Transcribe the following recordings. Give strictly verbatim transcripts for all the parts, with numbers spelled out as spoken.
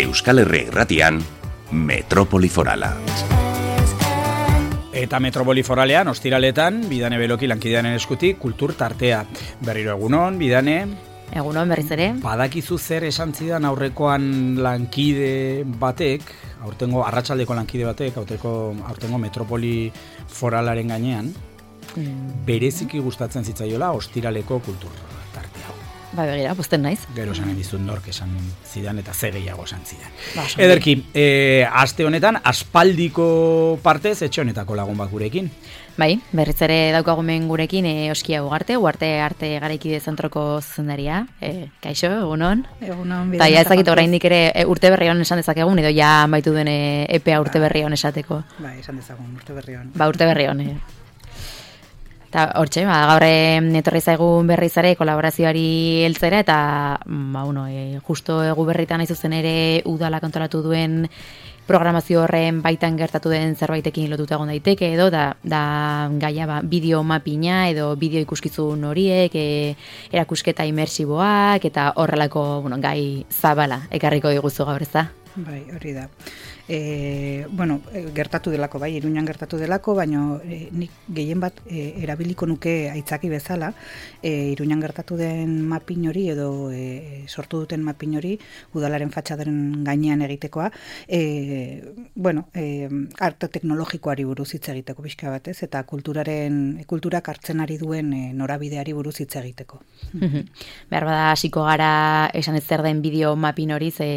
Euskal Herria Irratian, Metropoli Forala. Eta Metropoli Foralean, ostiraletan, Bidane Beloki lankidearen eskutik, kultur tartea. Berriro egunon, Bidane. Egunon, berriz ere. Badakizu zer esan zidan aurrekoan lankide batek, aurtengo arratsaldeko lankide batek, aurtengo, aurtengo Metropoli Foralaren gainean, mm. bereziki gustatzen zitzaiola ostiraleko kultur tartea. Ba, begira, posten naiz. Gero esan dizut nork esan zidan eta ze gehiago esan zidan. Ba, Ederki, e, aste honetan, aspaldiko partez, etxe honetako lagun bat gurekin. Bai, berriz ere daukagumen gurekin e, Oskia Ugarte, Ugarte Arte Garaikide Zentroko zuzendaria. E, kaixo, egunon. Egunon. Eta ja ezakit oraindik ere e, urte berri hon esan dezakegun, edo ja amaitu den e, epea urte berri hon esateko. Bai, esan dezagun, urte berri hon. Ba, urte berri hon, e. Eta hortxe, ba, gaur etorri zaigun berrizare kolaborazioari heltzera eta ba, uno, e, justo egu berritan aizuzen ere udalak antolatu duen programazio horren baitan gertatu den zerbaitekin lotuta egon daiteke edo da, da gaia ba, bideo mapina edo bideo ikuskizun horiek, e, erakusketa imersiboak eta horrelako bueno, gai zabala ekarriko diguzu gaur, ez da? Bai, hori da. E, bueno, gertatu delako, bai, Iruñan gertatu delako, baina e, nik gehien bat e, erabiliko nuke aitzaki bezala, e, Iruñan gertatu den mapin hori edo e, sortu duten mapin hori udalaren fatxadaren gainean egitekoa, e, bueno, e, arte teknologikoari buruz hitz egiteko pixka batez, eta kulturaren, kulturak hartzen ari duen e, norabideari buruz hitz egiteko. Behar bada hasiko gara esan ez zer den bideo mapin hori, ze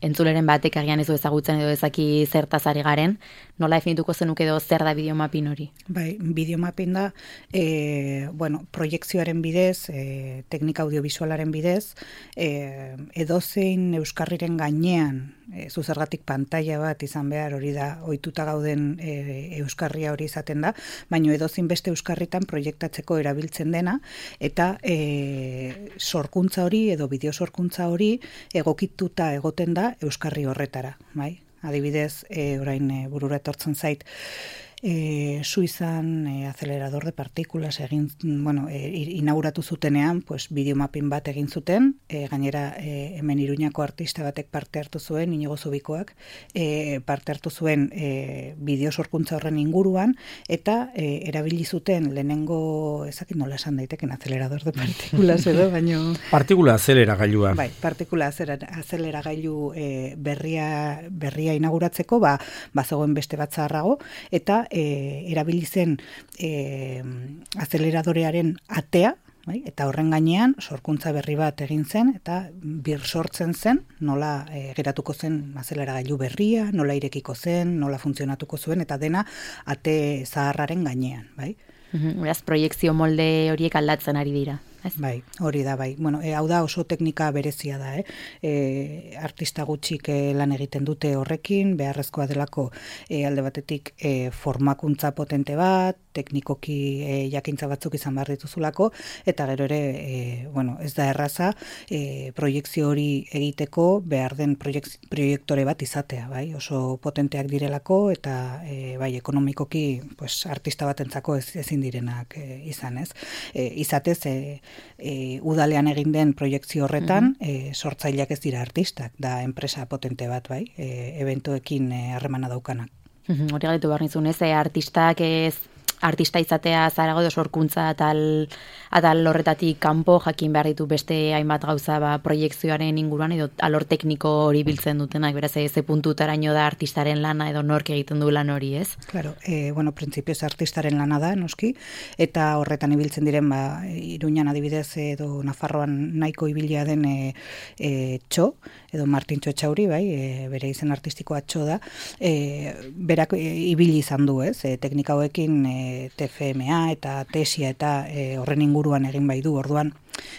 entzuleren batek agian ez du ezagutzen edo ezaki zertaz ari garen, nola definituko zenuke edo zer da bideomapin hori? Bai, bideomapin da, e, bueno, proiekzioaren bidez, e, teknika audiovisualaren bidez, e, edozein euskarriren gainean, e, zuzergatik pantalla bat izan behar hori da, ohituta gauden e, euskarria hori izaten da, baina edozein beste euskarritan proiektatzeko erabiltzen dena, eta e, sorkuntza hori edo bideo sorkuntza hori egokituta egoten da euskarri horretara, bai? Adibidez, e, orain e, burura etortzen zait, e, Suizan e, acelerador de partikulas egin, bueno, e, inauguratu zutenean, pues, bideomapin bat egin zuten, e, gainera e, hemen Iruñako artista batek parte hartu zuen, Inigo Zubikoak, e, parte hartu zuen e, bideo sorkuntza horren inguruan, eta e, erabili zuten lehenengo, ezakit nola esan daiteken, acelerador de partikulas edo, baino... Partikula azeleragailua. Bai, partikula azeleragailu e, berria, berria inauguratzeko, ba, bazegoen beste bat zaharrago, eta e, erabili zen e, azeleradorearen atea, bai, eta horren gainean sorkuntza berri bat egin zen, eta bir sortzen zen, nola e, geratuko zen azeleragailu berria, nola irekiko zen, nola funtzionatuko zuen, eta dena ate zaharraren gainean, bai. Beraz, proiekzio molde horiek aldatzen ari dira. Ez? Bai, hori da, bai. Bueno, e, hau da oso teknika berezia da, eh? E, artista gutxik e, lan egiten dute horrekin, beharrezkoa delako e, alde batetik e, formakuntza potente bat, teknikoki e, jakintza batzuk izan behar dituzulako, eta gero ere, e, bueno, ez da erraza, e, proiekzio hori egiteko behar den proiektore bat izatea, bai? Oso potenteak direlako, eta e, bai, ekonomikoki pues, artista batentzako ez, ezin direnak e, izan, ez? E, izatez, e, E, udalean egin den proiektzio horretan, mm-hmm. e, sortzaileak ez dira artistak, da enpresa potente bat, bai, e, eventuekin harremana e, daukanak. Mm-hmm. Hori galetu behar nizun, ez, e, artistak ez, artista izatea zarago edo sorkuntza atal, atal horretatik kanpo jakin behar ditu beste hainbat gauza ba, proiekzioaren inguruan edo alor tekniko hori biltzen dutenak, beraz ze puntutaraino da artistaren lana edo nork egiten du lan hori, ez? Claro, e, bueno, printzipioz artistaren lana da, noski, eta horretan ibiltzen diren, ba, Iruñan adibidez edo Nafarroan nahiko ibilia den e, e, txo, edo Martintxo Etxauri, bai, e, bere izen artistikoa txo da, e, berak e, ibili izan du, ez, e, teknika hauekin e, T F M A eta tesia eta e, horren inguruan egin bai du, orduan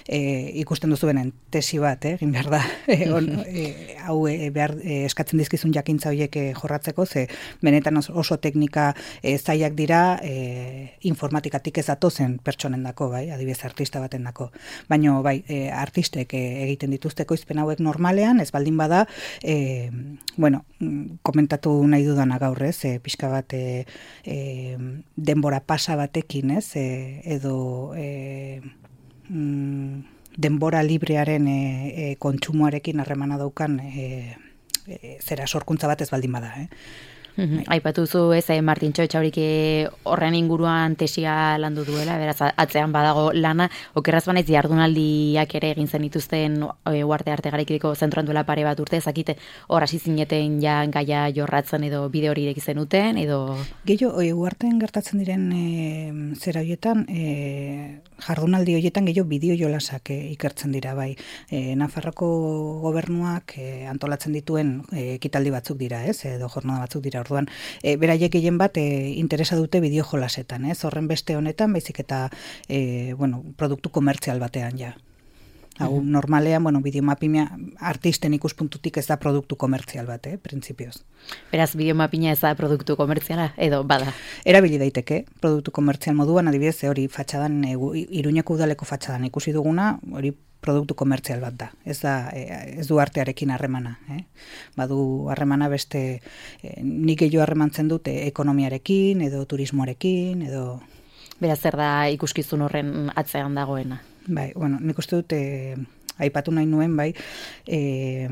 e, ikusten duzubenen tesi bat, eh, egin behar da, e, on, e, hau e, behar, e, eskatzen dizkizun jakintza horiek e, jorratzeko, ze benetan oso teknika e, zailak dira e, informatikatik ez datozen pertsonen dako, bai, adibidez artista baten dako. Baina, bai, e, artistek e, egiten dituzteko izpen hauek normalean, ez baldin bada, e, bueno, komentatu nahi dudana gaur, ez, e, pixka bat e, e, denbora pasa batekin, ez, e, edo e, mm, denbora librearen e, e, kontsumoarekin harremana daukan e, e, zera sorkuntza bat ez baldin bada, eh? Aipatu zu ez, eh, Martintxo Etxaurik horren inguruan tesia landu duela, beraz atzean badago lana, okerraz banaiz jardunaldiak ere egin zen dituzten e, Uarte Arte Garaikideko zentroan duela pare bat urte, zakite hor hasi zineten ja gaia jorratzen edo bide hori ireki zenuten, edo... Gehiago, e, Uarten gertatzen diren e, zera horietan, e, jardunaldi horietan gehiago bideo jolasak e, ikertzen dira, bai. E, Nafarroko gobernuak e, antolatzen dituen e, ekitaldi batzuk dira, ez, edo jornada batzuk dira. Orduan, e, beraiek gehien bat e, interesa dute bideo jolasetan, ez? Horren beste honetan, baizik eta e, bueno, produktu komertzial batean ja. Hau, uh-huh. normalean, bueno, bideomapina artisten ikuspuntutik ez da produktu komertzial bat, eh, printzipioz. Beraz, bideomapina ez da produktu komertziala, edo bada? Erabili daiteke, produktu komertzial moduan, adibidez, hori fatxadan, e, Iruñeko udaleko fatxadan ikusi duguna, hori produktu komertzial bat da. Ez da, ez du artearekin harremana, eh? Badu harremana beste, eh, nik gehiago harremantzen dute ekonomiarekin, edo turismoarekin, edo... Beraz, zer da ikuskizun horren atzean dagoena? Bai, bueno, nik uste dut, eh, aipatu nahi nuen, bai, eh,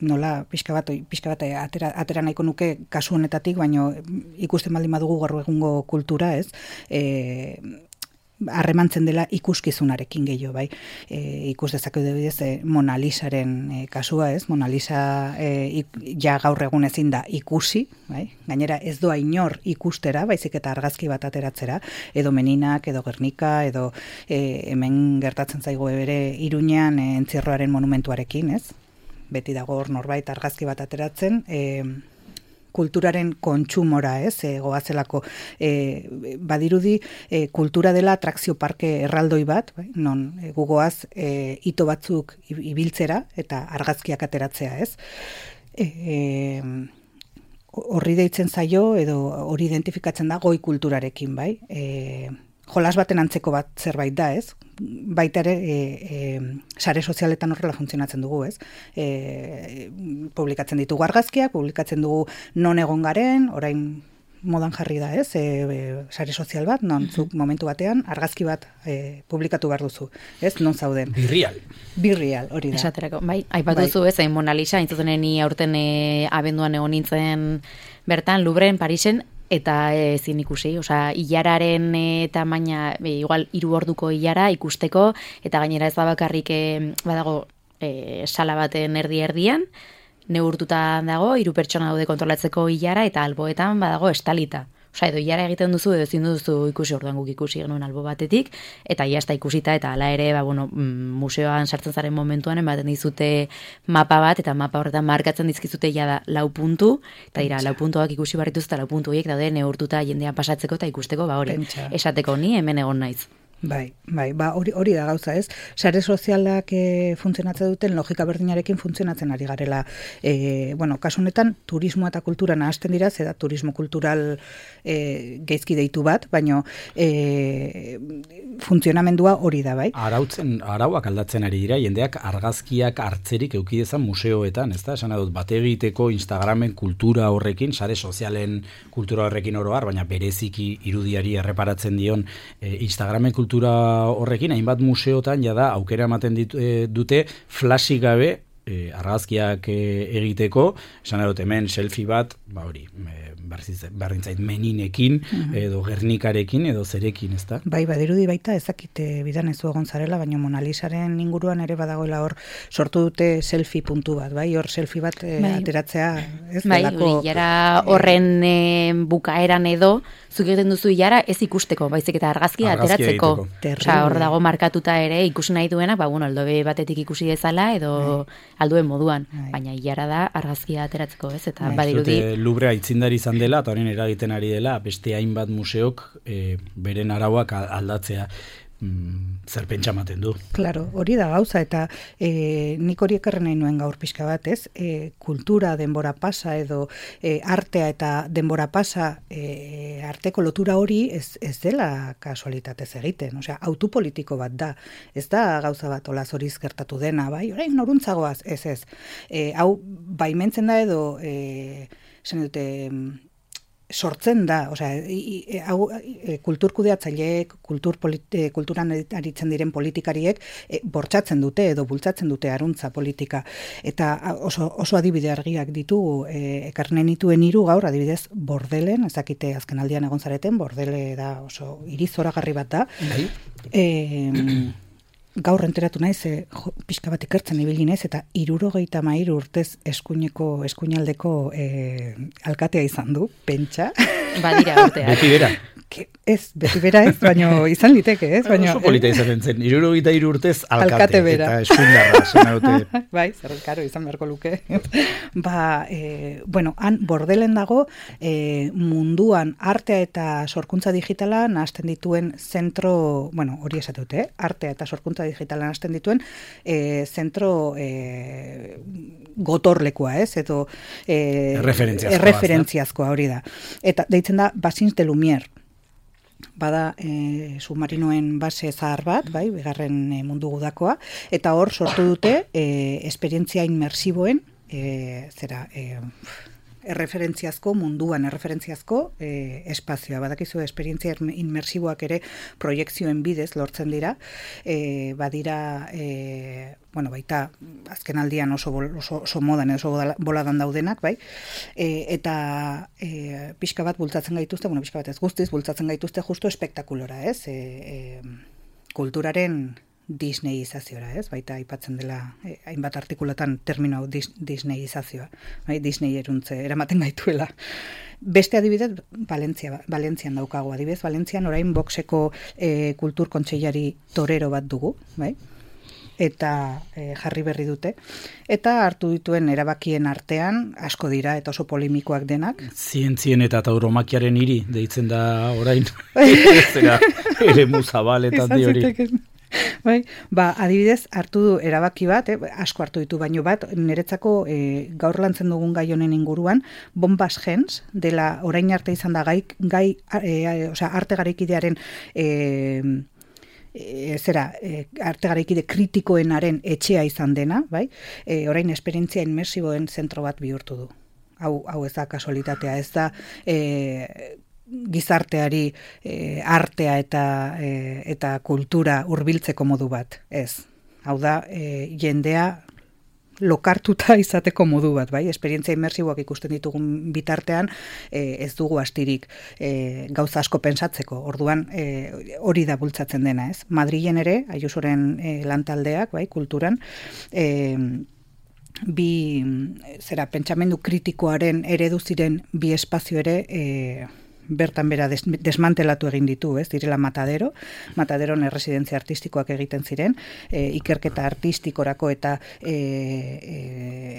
nola pixka bat, pixka bat atera, atera nahiko nuke kasu honetatik, baino ikusten baldin badugu gaur egungo kultura, ez? Eh, harremantzen dela ikuskizunarekin gehiago, bai. E, ikus dezakeu debidez e, Mona Lisaren e, kasua, ez? Mona Lisa e, ik, ja gaur egun ezin da ikusi, bai? Gainera ez doa inor ikustera, baizik eta argazki bat ateratzera, edo Meninak, edo Gernika, edo e, hemen gertatzen zaigu bere Iruñean e, entzierroaren monumentuarekin, ez? Beti dago hor norbait argazki bat ateratzen, e, kulturaren kontsumora, ez, e, goazelako, e, badirudi e, kultura dela atrakzio parke erraldoi bat, bai? Non e, gugoaz e, ito batzuk ibiltzera eta argazkiak ateratzea, ez. E, e, horri deitzen zaio edo hori identifikatzen da goi kulturarekin, bai. E, jolas baten antzeko bat zerbait da, ez. Baita ere, e, e, sare sozialetan horrela funtzionatzen dugu, ez? E, publikatzen ditugu argazkiak, publikatzen dugu non egon garen, orain modan jarri da, ez? E, e, sare sozial bat, non zuk momentu batean argazki bat e, publikatu behar duzu, ez? Non zauden. Birrial. Birrial, hori da. Esaterako, bai, aipatu zu, ez, Mona Lisa, intzuten ni aurten e, abenduan egon nintzen bertan, Louvren, Parisen, eta ezin ikusi, osea, ilararen e, tamaina, e, igual hiru orduko ilara ikusteko, eta gainera ez da bakarrik e, badago e, sala baten erdi-erdian, neurtuta dago, hiru pertsona daude kontrolatzeko ilara, eta alboetan badago estalita. Osea, edo ilara egiten duzu, edo ezin duzu ikusi, orduan guk ikusi genuen albo batetik, eta ia ez da ikusita, eta hala ere, ba, bueno, museoan sartzen zaren momentuan, ematen dizute mapa bat, eta mapa horretan markatzen dizkizute ja da lau puntu, eta dira, lau puntuak ikusi barrituz, eta lau puntu horiek daude neurtuta jendean pasatzeko, eta ikusteko, ba hori, Pentsa. esateko ni hemen egon naiz. Bai, bai, ba hori hori da gauza, ez? Sare sozialak e, funtzionatzen duten logika berdinarekin funtzionatzen ari garela. E, bueno, kasu honetan turismo eta kultura nahasten dira, ze da turismo kultural e, gaizki deitu bat, baino e, funtzionamendua hori da, bai? Arautzen, arauak aldatzen ari dira, jendeak argazkiak hartzerik eduki dezan museoetan, ezta? Esan dut, bate egiteko Instagramen kultura horrekin, sare sozialen kultura horrekin oro har, baina bereziki irudiari erreparatzen dion e, Instagramen kultura horrekin, hainbat museotan jada aukera ematen ditu, e, dute flasik gabe e, argazkiak e, egiteko, esan dut hemen selfie bat, ba hori, e, berdintzait Meninekin, uh-huh. edo Gernikarekin, edo zerekin, ezta? Bai, badirudi baita, ezakite bidan ez du egon zarela, baina Mona Lisaren inguruan ere badagoela hor sortu dute selfie puntu bat, bai, hor selfie bat e, bai. ateratzea, ez? Bai, delako, ilara horren e, bukaeran edo, zuk egiten duzu ilara ez ikusteko, baizik eta argazkia ateratzeko. Osea, hor dago markatuta ere ikusi nahi duena, ba, bueno, aldobe batetik ikusi dezala, edo bai. alduen moduan, bai. baina ilara da argazkia ateratzeko, ez? Eta bai. badirudi... Louvre aitzindari izan dela, eta horren eragiten ari dela, beste hainbat museok e, beren arauak aldatzea mm, zer pentsa ematen du. Claro, hori da gauza, eta e, nik hori ekarren nahi nuen gaur pixka bat, ez? E, kultura denbora pasa, edo e, artea eta denbora pasa, e, arteko lotura hori ez, ez dela kasualitatez egiten, osea, autopolitiko bat da, ez da gauza bat olaz horiz gertatu dena, bai, orain noruntzagoaz, ez ez. E, hau, baimentzen da edo, e, esan dute, sortzen da, osea, hau e, kulturkudeatzaileek, kultur politi, kulturan aritzen diren politikariek e, bortxatzen dute edo bultzatzen dute aruntza politika. Eta oso, oso adibide argiak ditugu, e, ekarnen nituen hiru gaur, adibidez, Bordelen, ezakite azken aldian egon zareten, Bordele da oso irizoragarri bat da. Bai. E, gaur enteratu naiz, e, jo, pixka bat ikertzen ibili naiz, eta hirurogeita hamairu urtez eskuineko, eskuinaldeko e, alkatea izan du, pentsa. Badira urteak. Beti bera. Que, ez, beti bera ez, baina izan liteke, ez? Baina, oso polita izaten zen, hirurogeita hiru urtez alkate, alkate bera. Eta eskuindarra, zena dute. Bai, zer, karo, izan beharko luke. ba, e, bueno, han Bordelen dago, e, munduan artea eta sorkuntza digitala nahasten dituen zentro, bueno, hori esatute, eh? Artea eta sorkuntza digitala nahasten dituen e, zentro e, gotorlekoa, ez? Edo e, erreferentziazkoa, erreferentziazkoa hori da. Eta deitzen da Basins de Lumière. Bada e, submarinoen base zahar bat, bai, bigarren e, mundu gudakoa, eta hor sortu dute e, esperientzia inmersiboen, e, zera, e, erreferentziazko, munduan erreferentziazko e, espazioa. Badakizu esperientzia inmersiboak ere proiekzioen bidez lortzen dira, e, badira, e, bueno, baita azken aldian oso, oso, oso modan, oso boladan daudenak, bai, e, eta e, pixka bat bultzatzen gaituzte, bueno, pixka bat ez guztiz, bultzatzen gaituzte justo espektakulora, ez, e, e, kulturaren Disneyizaziora, ez? Baita aipatzen dela eh, hainbat artikulatan termino hau dis, Disneyizazioa, bai? Disney eruntze eramaten gaituela. Beste adibidez, Valentzia, Valentzian daukago adibidez, Valentzian orain boxeko eh, kultur kontseilari torero bat dugu, bai? Eta eh, jarri berri dute, eta hartu dituen erabakien artean asko dira eta oso polemikoak denak. Zientzien eta tauromakiaren hiri deitzen da orain. Zera, ere muzabaletan di hori. Bai, ba, adibidez, hartu du erabaki bat, eh, asko hartu ditu baino bat, niretzako eh, gaur lantzen dugun gai honen inguruan, Bombas Gens, dela orain arte izan da gai, gai eh, osea, arte garaikidearen eh, e, zera, e, arte garaikide kritikoenaren etxea izan dena, bai? E, orain esperientzia inmersiboen zentro bat bihurtu du. Hau, hau ez da kasualitatea, ez da e, gizarteari e, artea eta e, eta kultura hurbiltzeko modu bat, ez. Hau da, e, jendea lokartuta izateko modu bat, bai? Esperientzia inmersiboak ikusten ditugun bitartean e, ez dugu astirik e, gauza asko pentsatzeko. Orduan e, hori da bultzatzen dena, ez? Madrilen ere, Ayusoren e, lantaldeak, bai, kulturan, e, bi, zera, pentsamendu kritikoaren eredu ziren bi espazio ere e, bertan bera des, desmantelatu egin ditu, ez, direla Matadero, Mataderon erresidentzia artistikoak egiten ziren, e, ikerketa artistikorako eta e, e,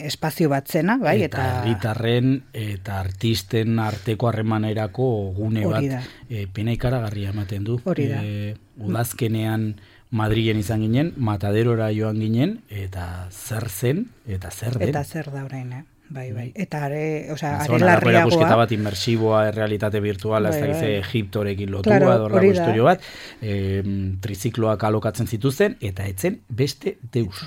espazio bat zena, bai, eta herritarren eta artisten arteko harremanerako gune bat e, pena ikaragarria ematen du. Hori da. E, udazkenean Madrilen izan ginen, Mataderora joan ginen, eta zer zen, eta zer den. Eta zer da orain, eh? Bai, bai. Eta are, o sea, are larriagoa. Erakusketa bat inmersiboa, realitate virtuala, bai, ez da, bai. Egiptorekin lotua, claro, dorlako historio bat, e, trizikloak alokatzen zituzten, eta etzen beste deus.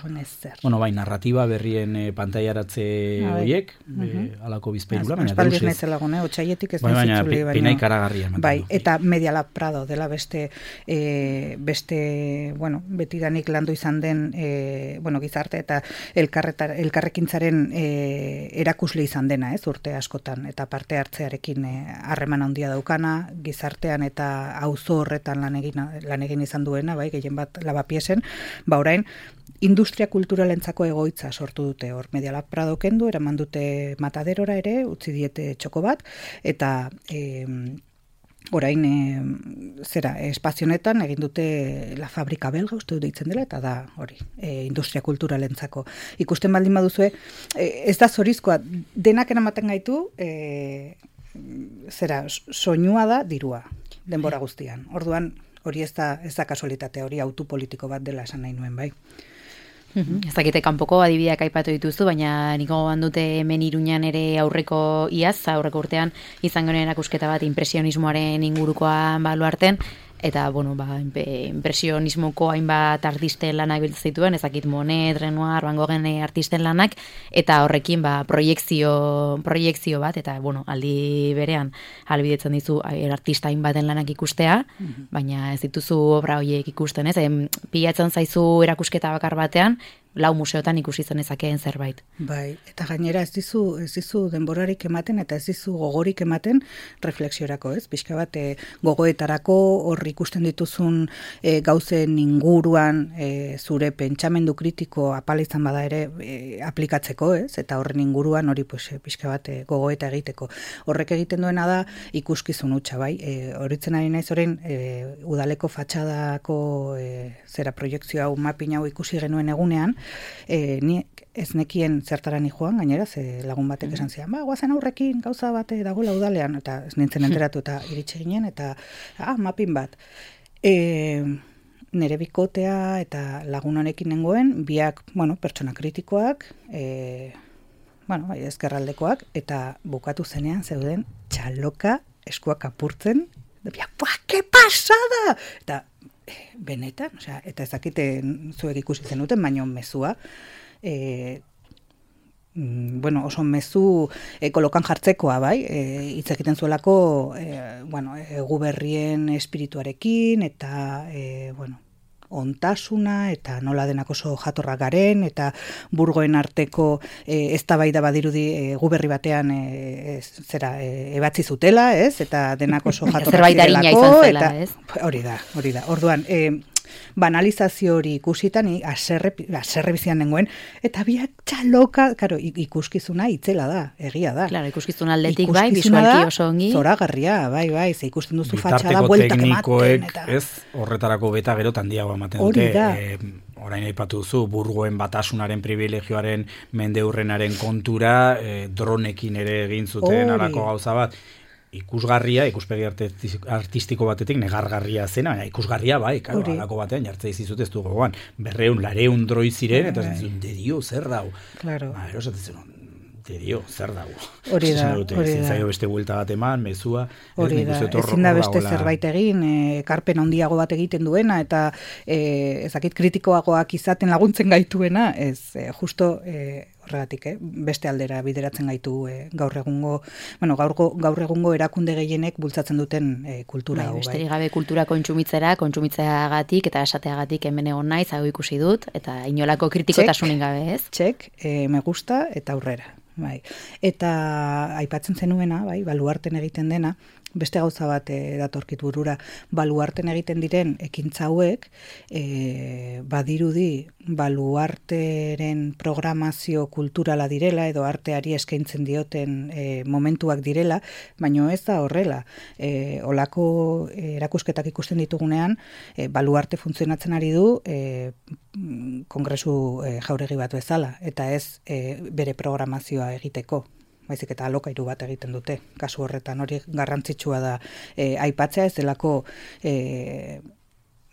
Bueno, bai, narratiba berrien e, pantaiaratze horiek, uh-huh. e, alako bizpeirula, baina deus ez. Espaldiz naizela gune, otxaietik ez bai, baina, nazitzuli, baina, pena ikaragarria. Bai, eta Media Lab Prado dela beste, e, beste, bueno, betidanik landu izan den, e, bueno, gizarte eta elkarrekintzaren e, erakusle izan dena, ez, urte askotan, eta parte hartzearekin harreman handia daukana, gizartean eta auzo horretan lan egin, lan egin izan duena, bai, gehien bat Lavapiesen, ba orain, industria kulturalentzako egoitza sortu dute hor, Media Lab Prado kendu, eraman dute Mataderora ere, utzi diete txoko bat, eta e, orain e, zera, espazionetan egin dute La Fabrika Belga, uste dut ditzen dela, eta da hori, e, industria kulturalentzako. Ikusten baldin baduzue, e, ez da zorizkoa, denak eramaten gaitu, e, zera, soinua da dirua, denbora guztian. Orduan, hori ez da, ez da kasualitatea, hori autu politiko bat dela esan nahi nuen, bai. Ez dakite kanpoko adibideak aipatu dituzu, baina niko bandute hemen Iruñan ere aurreko iaz, aurreko urtean izan genuen erakusketa bat impresionismoaren ingurukoa baluarten, eta, bueno, ba, impresionismoko hainbat artisten lanak biltzen zituen, ezakit Monet, Renoir, Van Goghen artisten lanak, eta horrekin, ba, proiektzio, proiektzio bat, eta, bueno, aldi berean, albidetzen dizu artista hainbaten lanak ikustea, mm-hmm. baina ez dituzu obra horiek ikusten, ez? E, pilatzen zaizu erakusketa bakar batean, lau museotan ikusi zen ezakeen zerbait. Bai, eta gainera ez dizu, ez dizu denborarik ematen eta ez dizu gogorik ematen reflexiorako, ez? Pixka bat e, gogoetarako hor ikusten dituzun e, gauzen inguruan e, zure pentsamendu kritiko apala izan bada ere e, aplikatzeko, ez? Eta horren inguruan hori pues, e, pixka bat e, gogoeta egiteko. Horrek egiten duena da ikuskizun hutsa, bai? E, horitzen ari naiz orain e, udaleko fatxadako e, zera proiektzio hau mapping hau ikusi genuen egunean, E, ni ez nekien zertara ni joan, gainera, ze lagun batek esan zian, ba, guazen aurrekin gauza bate dagoela udalean, eta ez nintzen enteratu eta iritsi ginen, eta, ah, mapping bat. E, nere bikotea eta lagun honekin nengoen, biak, bueno, pertsona kritikoak, e, bueno, bai, ezkerraldekoak, eta bukatu zenean zeuden txaloka eskuak apurtzen, biak, buah, ke pasada! Eta, benetan, osea, eta ez dakite zuek ikusi zenuten, baino mezua, e, bueno, oso mezu e, kolokan jartzekoa, bai, e, hitz egiten zuelako, e, bueno, egu berrien espirituarekin, eta, e, bueno, ontasuna, eta nola denak oso jatorra garen, eta burgoen arteko e, eztabaida badirudi e, guberri batean e, ez, zera, e, ebatzi zutela, ez? Eta denak oso jatorra zirelako, eta hori da, hori da. Orduan, e, banalizazio hori ikusitan, aserre, aserre bizian nengoen, eta biak txaloka, karo, ikuskizuna itzela da, egia da. Claro, ikuskizuna aldetik bai, bisualki oso ongi. Zoragarria, bai, bai, ze ikusten duzu fatxada bueltak ematen. Eta ez, horretarako beta gero tandiago ematen dute. E, orain aipatu duzu, burgoen batasunaren privilegioaren mendeurrenaren kontura, e, dronekin ere egin zuten alako gauza bat. Ikusgarria, ikuspegi artistiko batetik negargarria zena, baina ikusgarria bai, karo, alako batean jartzea izizut ez du gogoan, berreun, lareun droi ziren, eta zentzun, de dio, zer dau? Claro. Ba, erosatzen zen, de dio, zer dau? Hori da, hori da. Zaio beste buelta bat eman, mezua, hori da, ezin da beste zerbait egin, ekarpen handiago bat egiten duena, eta ezakit kritikoagoak izaten laguntzen gaituena, ez, justo, horregatik, eh? beste aldera bideratzen gaitu eh, gaur egungo, bueno, gaur, gaur egungo erakunde gehienek bultzatzen duten eh, kultura hau. Bai, besterik gabe kultura kontsumitzera, kontsumitzeagatik eta esateagatik hemen egon naiz, hau ikusi dut, eta inolako kritikotasunik gabe, ez? Txek, eh, me gusta eta aurrera. Bai. Eta aipatzen zenuena, bai, baluarten egiten dena, beste gauza bat e, datorkit burura, baluarten egiten diren ekintza hauek, e, badirudi baluarteren programazio kulturala direla, edo arteari eskaintzen dioten e, momentuak direla, baino ez da horrela. E, olako e, erakusketak ikusten ditugunean, e, baluarte funtzionatzen ari du e, kongresu e, jauregi bat bezala, eta ez e, bere programazioa egiteko. Baizik eta alokairu bat egiten dute. Kasu horretan hori garrantzitsua da e, aipatzea, ez delako e,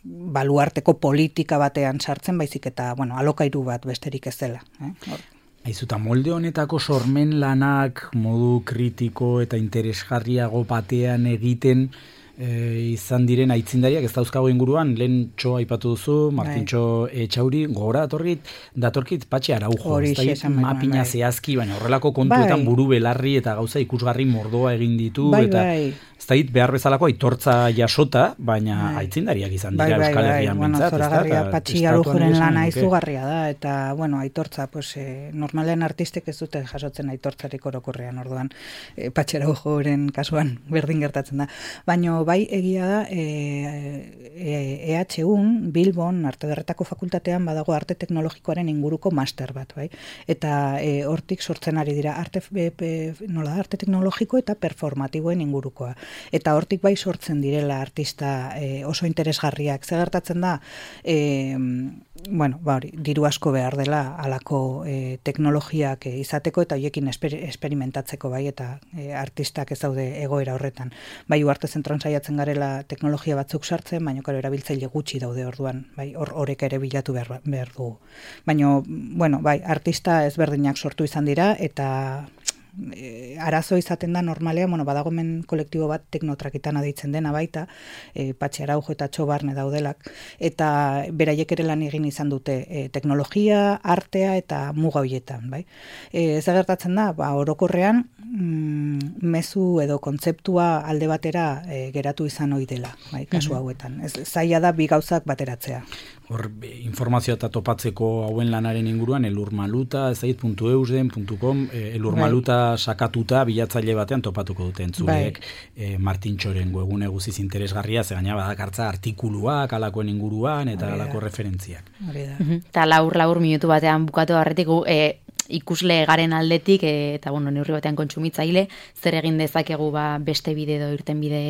baluarteko politika batean sartzen, baizik eta bueno, alokairu bat besterik ez dela. Eh? Aizuta, molde honetako sormen lanak modu kritiko eta interesgarriago batean egiten E, izan diren aitzindariak ez dauzkago inguruan, lehen txo aipatu duzu, Martintxo Etxauri, gogora datorkit, datorkit Patxi Araujo, ez da mapina zehazki, baina horrelako kontuetan bai. Buru belarri eta gauza ikusgarri mordoa egin ditu, bai, eta bai. ez da behar bezalako aitortza jasota, baina bai. aitzindariak izan dira bai, Euskal Herrian bai, bintzat. Bueno, zoragarria Patxi Araujoren lana izugarria da, eta bueno, aitortza, pues, eh, normalen artistek ez dute jasotzen aitortzarik orokorrean, orduan eh, Patxi Araujoren kasuan berdin gertatzen da. Baina bai egia da e, e, E H Un Bilbon Arte Ederretako fakultatean badago arte teknologikoaren inguruko master bat, bai? Eta e, hortik sortzen ari dira arte e, e, nola da, arte teknologiko eta performatiboen ingurukoa. Eta hortik bai sortzen direla artista e, oso interesgarriak. Zer gertatzen da e, bueno, ba hori, diru asko behar dela halako e, teknologiak e, izateko eta hoiekin esper, esperimentatzeko, bai, eta e, artistak ez daude egoera horretan. Bai, uarte zentron saiatzen garela teknologia batzuk sartzen, baina karo erabiltzaile gutxi daude orduan, bai, hor horeka ere bilatu behar, behar dugu. Baina, bueno, bai, artista ezberdinak sortu izan dira, eta e, arazo izaten da normalean, bueno, badagomen kolektibo bat teknotrakitana deitzen dena baita, e, Patxi Araujo eta Txobarne daudelak, eta beraiek ere lan egin izan dute e, teknologia, artea eta muga hoietan, bai? E, ez gertatzen da, ba, orokorrean, mm, mezu edo kontzeptua alde batera e, geratu izan ohi dela, bai, kasu hauetan. Ez, zaila da bi gauzak bateratzea. Hor, informazioa eta topatzeko hauen lanaren inguruan, elurmaluta, ez zait, puntu eusden, puntu com, elurmaluta sakatuta bilatzaile batean topatuko dute entzuleek, e, Martin Txoren webgune guziz interesgarria, ze gaina badakartza artikuluak, alakoen inguruan, eta alako referentziak. Eta laur, laur minutu batean bukatu harretik, e, ikusle garen aldetik, e, eta bueno, neurri batean kontsumitzaile, zer egin dezakegu ba, beste bide edo irten bide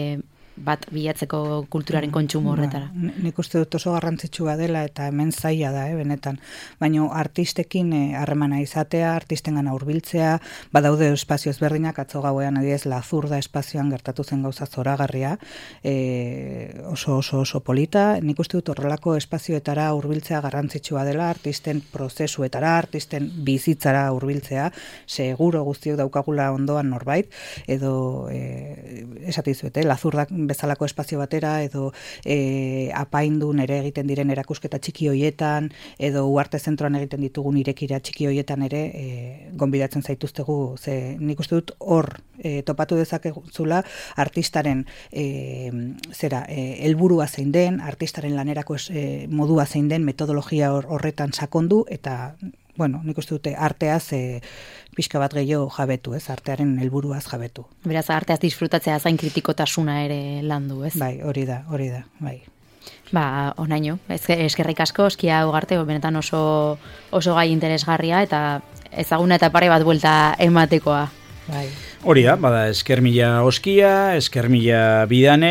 bat bilatzeko kulturaren kontsumo horretara. Ba, nik uste dut oso garrantzitsua dela eta hemen zaila da, eh, benetan. Baina artistekin harremana eh, izatea, artistengana hurbiltzea, badaude espazio ezberdinak, atzo gauean adibidez Lazurda espazioan gertatu zen gauza zoragarria, eh, oso oso oso polita. Nik uste dut horrelako espazioetara hurbiltzea garrantzitsua dela, artisten prozesuetara, artisten bizitzara hurbiltzea, seguro guztiok daukagula ondoan norbait, edo eh, esatizuete, Lazurdak bezalako espazio batera, edo e, apaindun ere egiten diren erakusketa txiki hoietan, edo uarte zentroan egiten ditugun irekira txiki hoietan ere e, gonbidatzen zaituztegu, ze nik uste dut hor e, topatu dezakezula artistaren e, zera, e, helburua zein den, artistaren lanerako e, modua zein den, metodologia hor, horretan sakondu, eta bueno, nik uste dute arteaz e, pixka bat gehiago jabetu, ez? Artearen helburuaz jabetu. Beraz, arteaz disfrutatzea zain kritikotasuna ere landu, ez? Bai, hori da, hori da, bai. Ba, onaino, eskerrik asko, Oskia Ugarte, benetan oso, oso gai interesgarria, eta ezaguna eta pare bat buelta ematekoa. Bai. Hori da, bada, esker mila Oskia, esker mila Bidane,